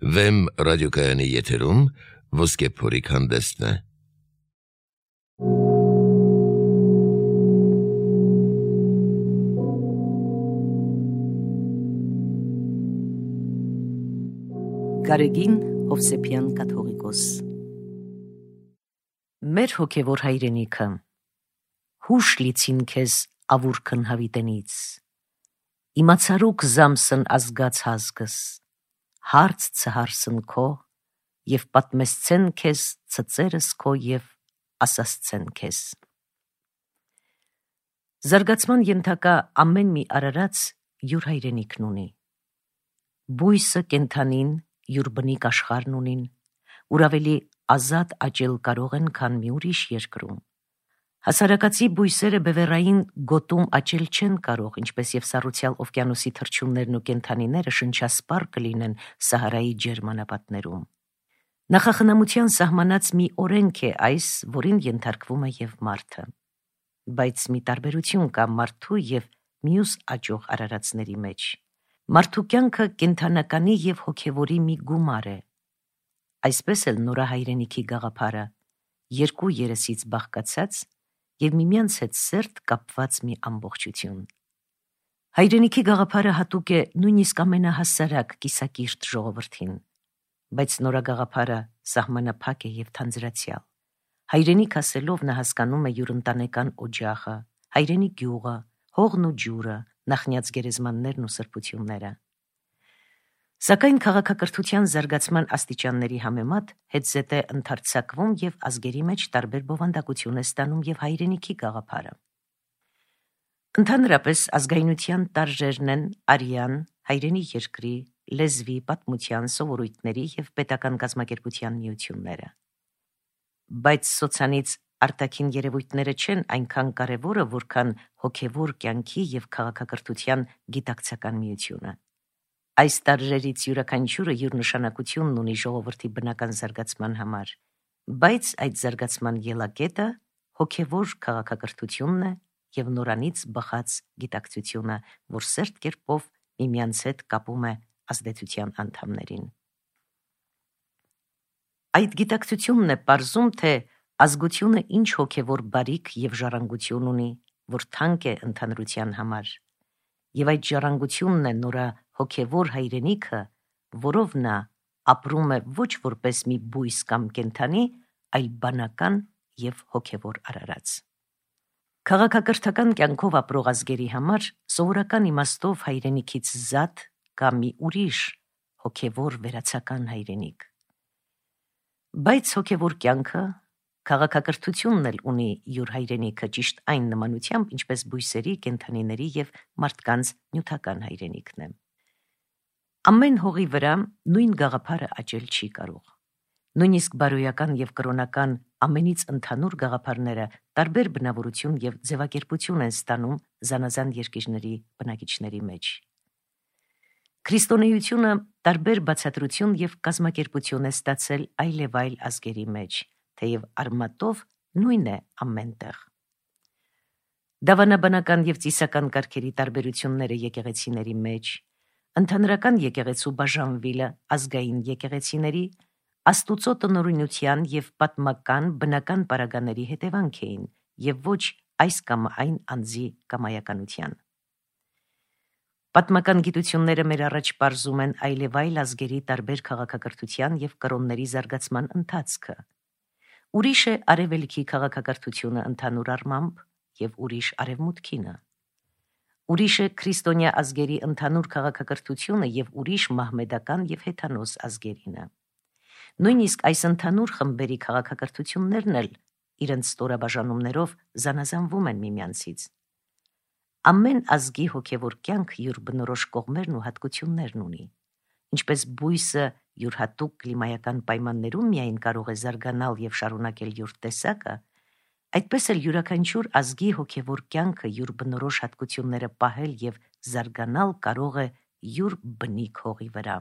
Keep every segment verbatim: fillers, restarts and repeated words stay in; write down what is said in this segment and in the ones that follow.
Վեմ ռադիոկայանի եթերում ոսկե փորիկ հանդեսն է։ Գարեգին Հովսեփյան կաթողիկոս։ Մեր հոգևոր հայրենիքը, հուշ լիցին քեզ ավուրքն հավիտենից, իմացարուկ զամսն ազգաց հազգս, հարց ցհարսն քո, և պատմեսցեն քեզ ցծերս քո և ասասցեն քեզ։ Զարգացման ենթակա ամեն մի արարած յուր հայրենիքն ունի։ Բույսը կենթանին յուր բնիկ աշխարհն ունին, ուր ավելի ազատ աճել կարող են, քան մի ուրիշ երկրում։ Հասարակացի բույսերը բևեռային գոտում աճել չեն կարող, ինչպես և սառուցյալ օվկիանոսի թռչուններն ու կենդանիները շնչասպառ կլինեն Սահարայի ջերմ անապատներում։ Նախախնամության սահմանած մի օրենք է այս, որին ենթարկվում է և մարդը։ Բայց մի տարբերություն կա մարդու և մյուս աճող արարածների մեջ։ Մարդու կյանքը կենդանականի և հոգևորի մի գումար է։ Այսպես էլ նորահայրենիքի գաղափարը, երկու երեսից բաղկացած և միմյանց հետ սերտ կապված մի ամբողջություն։ Հայրենիքի գաղափարը հատուկ է նույնիսկ ամենահասարակ կիսակիրթ ժողովրդին, բայց նորագաղափարը սահմանափակ է և թանձրացյալ։ Հայրենիք ասելով նա հասկանում է յուր ընտանեկան օջախը, հայրենի գյուղը, հողն ու ջուրը, նախնյաց գերեզմաններն ու սրբությունները։ Սակայն քաղաքակրթության զարգացման աստիճանների համեմատ հետզհետե ընդարձակվում և ազգերի մեջ տարբեր բովանդակություն է ստանում և հայրենիքի գաղափարը։ Ընդհանրապես ազգայնության տարրերն են արյան, հայրենի երկրի, լեզվի, պատմության, սովորույթների և պետական կազմակերպության միությունները։ Բայց սոցանից արտաքին երևույթները չեն այնքան կարևորը, որքան հոգևոր կյանքի և քաղաքակրթության գիտակցական միությունը։ Այս տարրերից յուրաքանչյուրը յուր նշանակությունն ունի ժողովրդի բնական զարգացման համար, բայց այդ զարգացման ելակետը հոգևոր քաղաքակրթությունն է և նորանից բխած գիտակցությունը, որ սերտ կերպով միմյանց հետ կապում է ազդեցության անդամներին։ Այդ գիտակցությունն է պարզում, թե ազգությունը ինչ հոգևոր բարիք և ժառանգություն ունի, որ թանկ է ընդհանրության համար, և այդ ժառանգությունն է նորա հոգևոր հայրենիքը, որով նա ապրում է ոչ որպես մի բույս կամ կենդանի, այլ բանական և հոգևոր արարած։ Քաղաքակրթական կյանքով ապրող ազգերի համար սովորական իմաստով հայրենիքից զատ կա մի ուրիշ հոգևոր վերացական հայրենիք։ Բայց հոգևոր կյանքը, քաղաքակրթությունն էլ ունի յուր հայրենիքը ճիշտ այն նմանությամբ, ինչպես բույսերի, կենդանիների և մարդկանց նյութական հայրենիքն է։ Ամեն հողի վրա նույն գաղափարը աճել չի կարող։ Նույնիսկ բարոյական և կրոնական ամենից ընդհանուր գաղափարները տարբեր բնավորություն և ձևակերպություն են ստանում զանազան երկիրների բնակիչների մեջ։ Քրիստոնեությունը տարբեր բացատրություն և կազմակերպություն է ստացել այլ և այլ ազգերի մեջ, թեև արմատով նույն է ամենտեղ։ Դավանաբանական և ծիսական կարգերի տարբերությունները եկեղեցիների մեջ, ընդհանրական եկեղեցու բաժանվելը ազգային եկեղեցիների, Աստուծո տնօրինության և պատմական բնական պարագաների հետևանք էին և ոչ այս կամ այն անձի կամայականության։ Պատմական գիտությունները մեր առաջ պարզում են այլ և այլ ազգերի տարբեր քաղաքակրթության և կրոնների զարգացման ընթացքը։ Ուրիշ է արևելքի քաղաքակրթությունը ընդհանուր առմամբ և ուրիշ արևմուտքինը։ Ուրիշ է քրիստոնյա ազգերի ընդհանուր քաղաքակրթությունը և ուրիշ մահմեդական և հեթանոս ազգերինը։ Նույնիսկ այս ընդհանուր խմբերի քաղաքակրթություններն էլ իրենց ստորաբաժանումներով զանազանվում են միմյանցից։ Ամեն ազգի հոգևոր կյանք յուր բնորոշ կողմերն ու հատկություններն ունի։ Ինչպես բույսը յուր հատուկ կլիմայական պայմաններում միայն կարող է զարգանալ և շարունակել յուր տեսակը, այդպես էլ յուրաքանչյուր ազգի հոգևոր կյանքը յուր բնորոշ հատկությունները պահել և զարգանալ կարող է յուր բնիկ հողի վրա։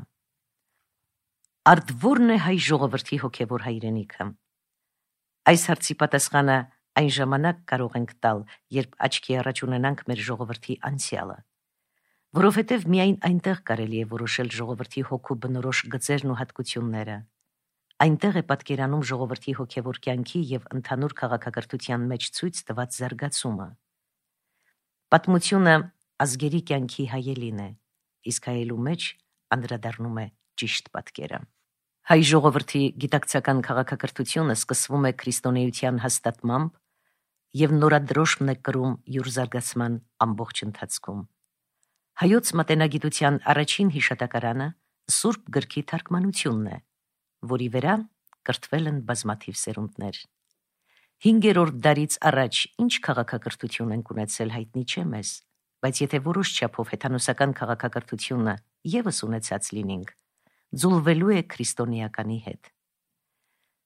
Արդ ո՞րն է հայ ժողովրդի հոգևոր հայրենիքը։ Այս հարցի պատասխանը այն ժամանակ կարող ենք տալ, երբ աչքի առաջ ունենանք մեր ժողովրդի անցյալը։ որովհետև միայն այնտեղ կարելի է որոշել ժողովրդի հոգու բնորոշ գծերն ու հատկությունները։ Այնտեղ է պատկերանում ժողովրդի հոգևոր կյանքի և ընդհանուր քաղաքակրթության մեջ ցույց տված զարգացումը։ Պատմությունը ազգերի կյանքի հայելին է, իսկ հայելու մեջ անդրադառնում է ճիշտ պատկերը։ Հայ ժողովրդի գիտակցական քաղաքակրթությունը սկսվում է քրիստոնեության հաստատմամբ և նորադրոշմն է կրում յուր զարգացման ամբողջ ընթացքում։ Հայոց մատենագիտության առաջին հիշատակարանը Սուրբ գրքի թարգմանությունն է, որի վրա կրթվել են բազմաթիվ սերունդներ։ Հինգերորդ դարից առաջ ինչ քաղաքակրթություն ենք ունեցել հայտնի չէ մեզ, բայց եթե որոշ չափով հեթանոսական քաղաքակրթությունը ևս ունեցած լինենք, ձուլվելու է քրիստոնեականի հետ։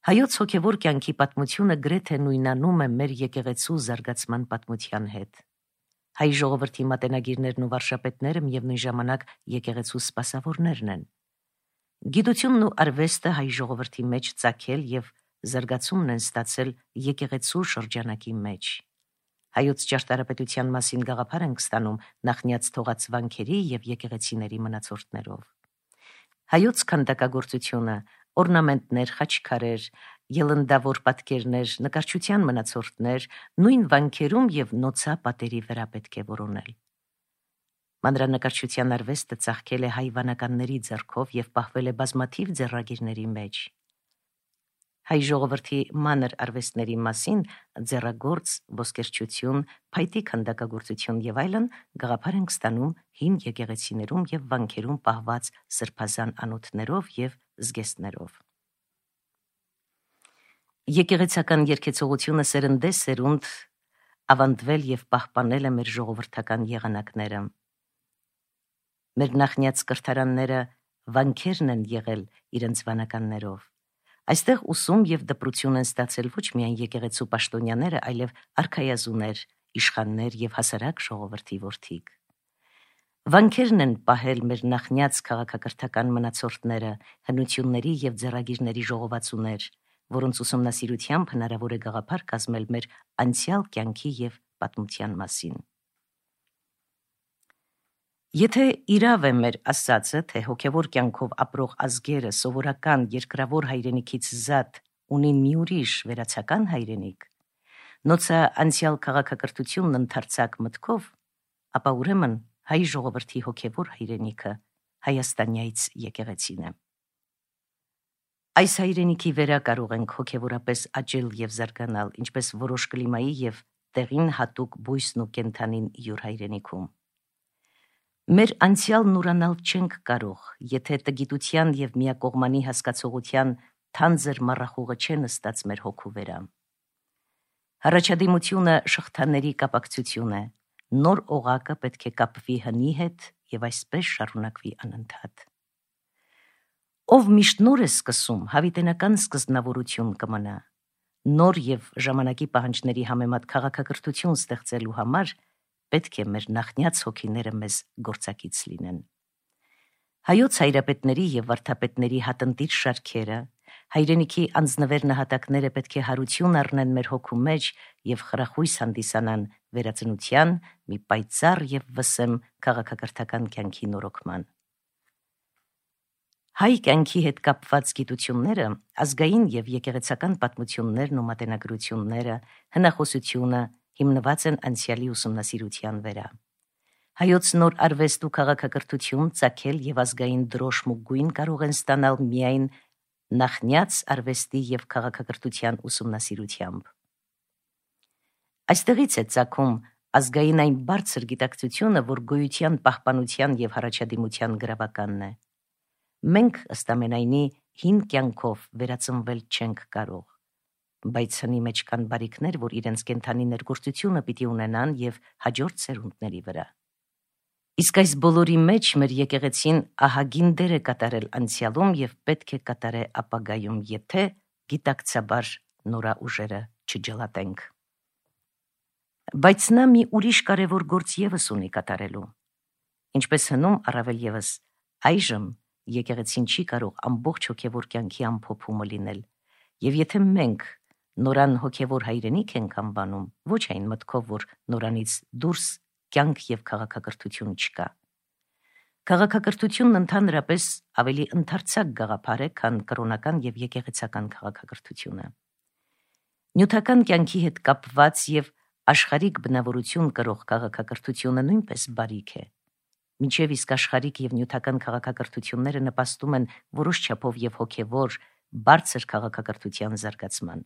Հայոց հոգևոր կյանքի պատմությունը գրեթե նույնանում է մեր եկեղեցու զարգացման պատմության հետ։ Հայ ժողովրդի մատենագիրներն ու վարշապետները միևնույն ժամանակ եկեղեցու սպասավորներն են։ Գիտությունն ու արվեստը հայ ժողովրդի մեջ ծագել և զարգացումն են ստացել եկեղեցու շրջանակի մեջ։ Հայոց ճարտարապետության մասին գաղափար ենք ստանում նախնյաց թողած վանքերի և եկեղեցիների մնացորդներով։ Հայոց քանդակագործությունը, օրնամենտներ, խաչքարեր, ելնդավոր պատկերներ, նկարչության մնացորդներ նույն վանքերում և նոցապատերի վրա պետք է որոնել։ Մանրանկարչության արվեստը ծաղկել է հայ վանականների ձեռքով և պահվել է բազմաթիվ ձեռագիրների մեջ։ Հայ ժողովրդի մանր արվեստների մասին ձեռագործ, ոսկերչություն, փայտի քանդակագործություն և այլն գաղափար ենք ստանում հին եկեղեցիներում և վանքերում պահված սրբազան անոթներով և զգեստներով։ Եկեղեցական երգեցողությունը սերնդեսերունդ ավանդվել և պահպանել է մեր ժողովրդական եղանակները։ Մեր նախնյաց կրթարանները վանքերն են եղել իրենց վանականներով։ Այստեղ ուսում և դպրություն են ստացել ոչ միայն եկեղեցու պաշտոնյաները, այլև արքայազուներ, իշխաններ և հասարակ ժողովրդի որդիկ։ Վանքերն են պահել մեր նախնյաց քաղաքակրթական մնացորդները, հնությունների և ձեռագիրների ժողովածուներ, որոնց ուսումնասիրությամբ հնարավոր է գաղափար կազմել մեր անցյալ կյանքի և պատմության մասին։ Եթե իրավ է մեր ասածը, թե հոգևոր կյանքով ապրող ազգերը սովորական երկրավոր հայրենիքից զատ ունին մի ուրիշ վերացական հայրենիք, նոցա անցյալ քաղաքակրթությունն ընդարձակ մտքով, ապա ուրեմն հայ ժողովրդի հոգևոր հայրենիքը Հայաստանյայց եկեղեցին է։ Այս հայրենիքի վրա կարող ենք հոգևորապես աճել և զարգանալ, ինչպես որոշ կլիմայի և տեղին հատուկ բույսն ու կենդանին յուր հայրենիքում։ Մեր անցյալն ուրանալ չենք կարող, եթե տգիտության և միակողմանի հասկացողության թանձր մառախուղը չէ նստած մեր հոգու վրա։ Հառաջադիմությունը շղթաների կապակցություն է, նոր օղակը պետք է կապվի հնի հետ և այսպես շարունակվի անընդհատ։ Ով միշտ նոր է սկսում, հավիտենական սկզբնավորություն կմնա։ Նոր և ժամանակի պահանջների համեմատ քաղաքակրթություն ստեղծելու համար պետք է մեր նախնյաց հոգիները մեզ գործակից լինեն։ Հայոց հայրապետների և վարդապետների հատնտիր շարքերը, հայրենիքի անձնվեր նահատակները պետք է հարություն առնեն մեր հոգու մեջ և խրախույս հանդիսանան վերածնության մի պայծառ և վսեմ քաղաքակրթական կյանքի նորոգման։ Հայ կյանքի հետ կապված գիտությունները, ազգային և եկեղեցական պատմություններն ու մատենագրությունները, հնախոսությունը հիմնված են անցյալի ուսումնասիրության վրա։ Հայոց նոր արվեստ ու քաղաքակրթություն ծագել և ազգային դրոշմ ու գույն կարող են ստանալ միայն նախնյաց արվեստի և քաղաքակրթության ուսումնասիրությամբ։ Այստեղից է ծագում ազգային այն բարձր գիտակցությունը, որ գոյության պահպանության և հառաջադիմության գրավականն է։ Մենք ըստ ամենայնի հին կյանքով վերածնվել չենք կարող, բայց հնի մեջ կան բարիքներ, որ իրենց կենդանի ներգործությունը պիտի ունենան և հաջորդ սերունդների վրա։ Իսկ այս բոլորի մեջ մեր եկեղեցին ահագին դեր է կատարել անցյալում և պետք է կատարե ապագայում, եթե գիտակցաբար նորաուժերը չջլատենք։ Բայց նա մի ուրիշ կարևոր գործ ևս ունի կատարելու։ Ինչպես հնում, առավել ևս այժմ եկեղեցին չի կարող ամբողջ հոգևոր կյանքի ամփոփումը լինել, և եթե մենք նորան հոգևոր հայրենիք ենք անվանում, ոչ այն մտքով, որ նորանից դուրս կյանք և քաղաքակրթություն չկա, Քաղաքակրթությունն ընդհանրապես ավելի ընդարձակ գաղափար է, քան կրոնական եւ եկեղեցական քաղաքակրթությունը։ Նյութական կյանքի հետ կապված եւ աշխարհիկ բնավորություն կրող քաղաքակրթությունը նույնպես բարիք է։ Մինչև իսկ աշխարհիկ եւ նյութական քաղաքակրթությունները նպաստում են որոշ չափով եւ հոգեվոր բարձր քաղաքակրթության զարգացման։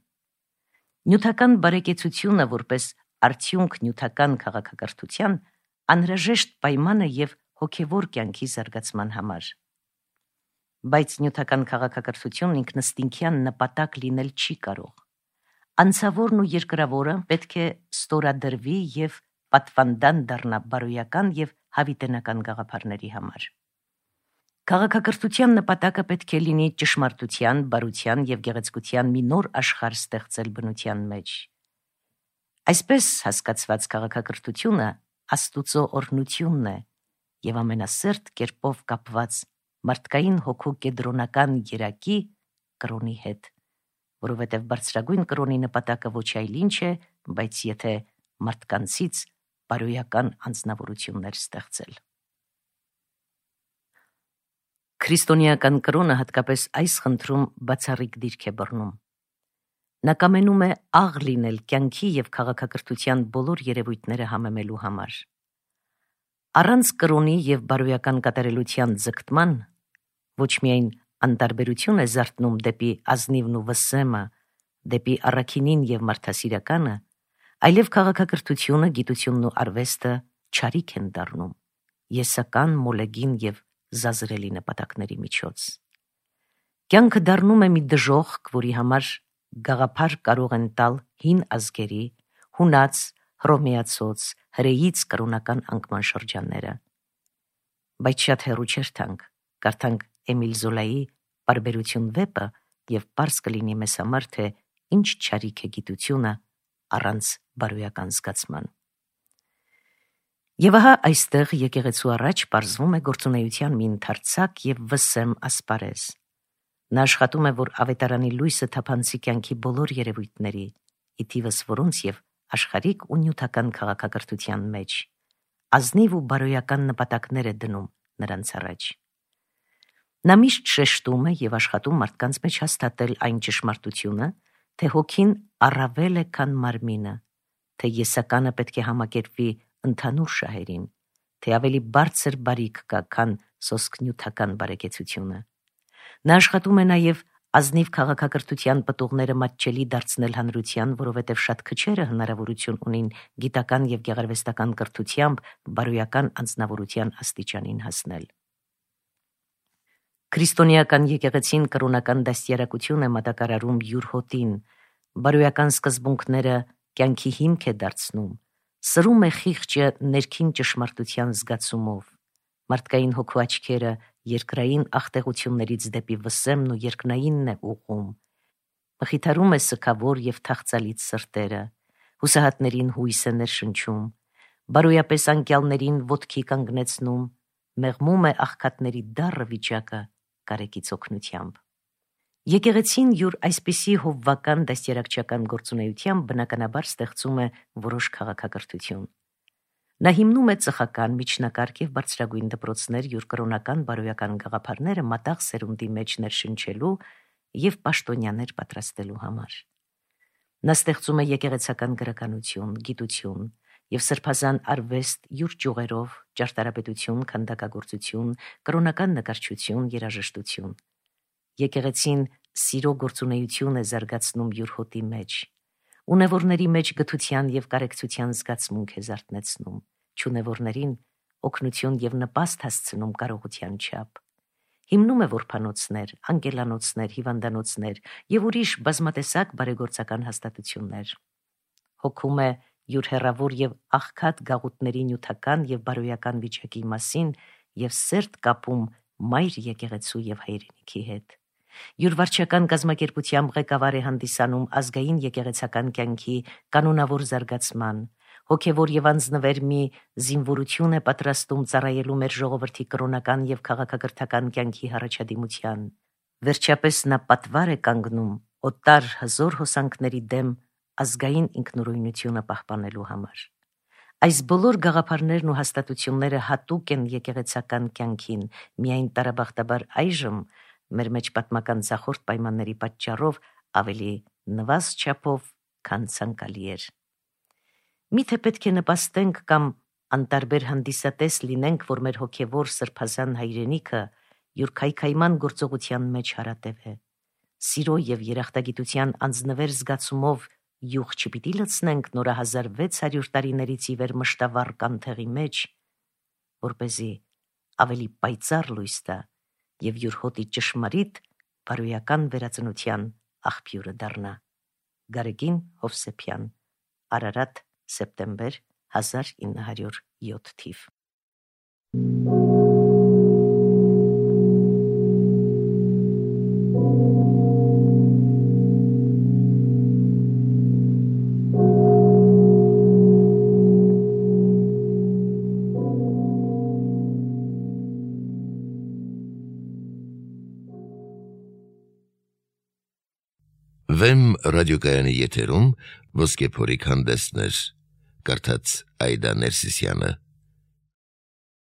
Նյութական բարեկեցությունը որպես արդյունք նյութական քաղաքակրթության անհրաժեշտ պայման է եւ հոգեվոր կյանքի զարգացման համար։ Բայց նյութական քաղաքակրթությունն ինքնըստինքյան նպատակ լինել չի կարող։ Անցավորն ու երկրավորը պետք է ստորադրվի եւ պատվանդան դառնա բարոյական եւ հավիտենական գաղափարների համար։ Քաղաքակրթության նպատակը պետք է լինի ճշմարտության, բարության եւ գեղեցկության մի նոր աշխարհ ստեղծել բնության մեջ։ Այսպես հասկացված քաղաքակրթությունը Աստուծո օրհնությունն է եւ ամենասերտ կերպով կապված մարդկային հոգու կեդրոնական երակի կրոնի հետ, որովհետև բարձրագույն կրոնի նպատակը ոչ այլ ինչ է, բայց եթե մարդկանցից բարոյական անձնավորություններ ստեղծել։ Քրիստոնեական կրոնը հատկապես այս խնդրում բացառիկ դիրք է բռնում։ Նա կամենում է աղ լինել կյանքի եւ քաղաքակրթության բոլոր երևույթները համեմելու համար։ Առանց կրոնի եւ բարոյական կատարելության ձգտման ոչ միայն անտարբերություն է զարթնում դեպի ազնիվն ու վսեմը, դեպի առաքինին եւ մարդասիրականը, այլև քաղաքակրթությունը, գիտությունն ու արվեստը չարիք են դառնում, եսական, մոլեգին եւ զազրելի նպատակների միջոց։ Կյանքը դառնում է մի դժոխք, որի համար գաղափար կարող են տալ հին ազգերի, հունաց, հռոմեացոց, հրեից կրոնական անկման շրջանները։ Բայց շատ հեռու չերթանք, կարդանք Էմիլ Զոլայի «Պարբերություն» վեպը եւ պարզ կլինի մեզ համար, թե ինչ չարիք է գիտությունը առանց բարոյական զգացման։ Եվ ահա այստեղ եկեղեցու առաջ պարզվում է գործունեության մի ընդարձակ եւ վսեմ ասպարեզ։ Նա աշխատում է, որ ավետարանի լույսը թափանցի կյանքի բոլոր երևույթների, ի թիվս որոնց եւ աշխարհիկ ու նյութական քաղաքակրթության մեջ, ազնիվ ու բարոյական նպատակներ է դնում նրանց առաջ։ Նա միշտ շեշտում է եւ աշխատում մարդկանց մեջ հաստատել այն ճշմարտությունը, թե հոգին առավել է, քան մարմինը, թե եսականը պետք է համակերպվի ընդհանուր շահերին, թե ավելի բարձր բարիք կա, քան սոսկ նյութական բարեկեցությունը։ Նա աշխատում է նաեւ ազնիվ քաղաքակրթության պտուղները մատչելի դարձնել հանրության, որովհետև շատ քչերը հնարավորություն ունին գիտական եւ գեղարվեստական կրթությամբ բարոյական անձնավորության աստիճանին հասնել։ Քրիստոնեական եկեղեցին կրոնական դաստիարակություն է մատակարարում յուր հոտին, բարոյական սկզբունքները կյանքի հիմք է դարձնում, սրում է խիղճը ներքին ճշմարտության զգացումով, մարդկային հոգու աչքերը երկրային աղտեղություններից դեպի վսեմն ու երկնայինն է ուղղում, մխիթարում է սգավոր եւ թախծալից սրտերը, հուսահատներին հույս է ներշնչում, բարոյապես անկյալներին ոտքի կանգնեցնում, մեղմում է աղքատների դառը վիճակը կարեկից օգնությամբ։ Եկեղեցին յուր այսպիսի հովվական դաստիարակչական գործունեությամբ բնականաբար ստեղծում է որոշ քաղաքակրթություն։ Նա հիմնում է ծխական, միջնակարգ եւ բարձրագույն դպրոցներ յուր կրոնական բարոյական գաղափարները մատաղ սերունդի մեջ ներշնչելու եւ պաշտոնյաներ պատրաստելու համար։ Նա ստեղծում է եկեղեցական գրականություն, գիտություն եւ սրբազան արվեստ յուր ճյուղերով, ճարտարապետություն, քանդակագործություն, կրոնական նկարչություն, երաժշտություն։ Եկեղեցին սիրո գործունեություն է զարգացնում յուր հոտի մեջ, ունևորների մեջ գթության եւ կարեկցության զգացմունք է զարթնեցնում, չունևորներին օգնություն եւ նպաստ հասցնում կարողության չափ։ Հիմնում է որբանոցներ, անգելանոցներ, հիվանդանոցներ եւ ուրիշ բազմատեսակ բարեգործական հաստատություններ։ Հոգում է յուր հեռավոր եւ աղքատ գաղութների նյութական եւ բարոյական վիճակի մասին եւ սերտ կապում մայր եկեղեցու եւ հայրենիքի հետ։ Յուր վարչական կազմակերպությամբ ղեկավար է հանդիսանում ազգային եկեղեցական կյանքի կանոնավոր զարգացման, հոգևոր եւ անձնվեր մի զինվորություն է պատրաստում ծառայելու մեր ժողովրդի կրոնական եւ քաղաքակրթական կյանքի առաջադիմության։ Վերջապես նա պատվար է կանգնում օտար հզոր հոսանքների դեմ ազգային ինքնուրույնությունը պահպանելու համար։ Այս բոլոր գաղափարներն ու հաստատությունները հատուկ են եկեղեցական կյանքին, միայն տարաբախտաբար այժմ մեր մեջ պատմական ցախորդ պայմանների պատճառով ավելի նվազ չափով, քան ցանկալի էր։ Միթե պետք է նպաստենք կամ անտարբեր հանդիսատես լինենք, որ մեր հոգևոր սրբազան հայրենիքը յուր քայքայման գործողության մեջ հարատև է։ Սիրո և երախտագիտության անձնվեր զգացումով յուղ չպիտի լցնենք նորահազար վեց հարյուր տարիներից ի վեր մշտավառ կանթեղի մեջ, որպեսզի ավելի պայծառ լույս տա և յուր հոտի ճշմարիտ բարոյական վերածնության աղբյուրը դառնա։ Գարեգին Հովսեփյան, Արարատ, սեպտեմբեր հազար ինը հարյուր յոթ թիվ։ Վեմ ռադիոկայանի եթերում ոսկե փորիկ հանդեսներ, կարդաց Այդա Ներսիսյանը։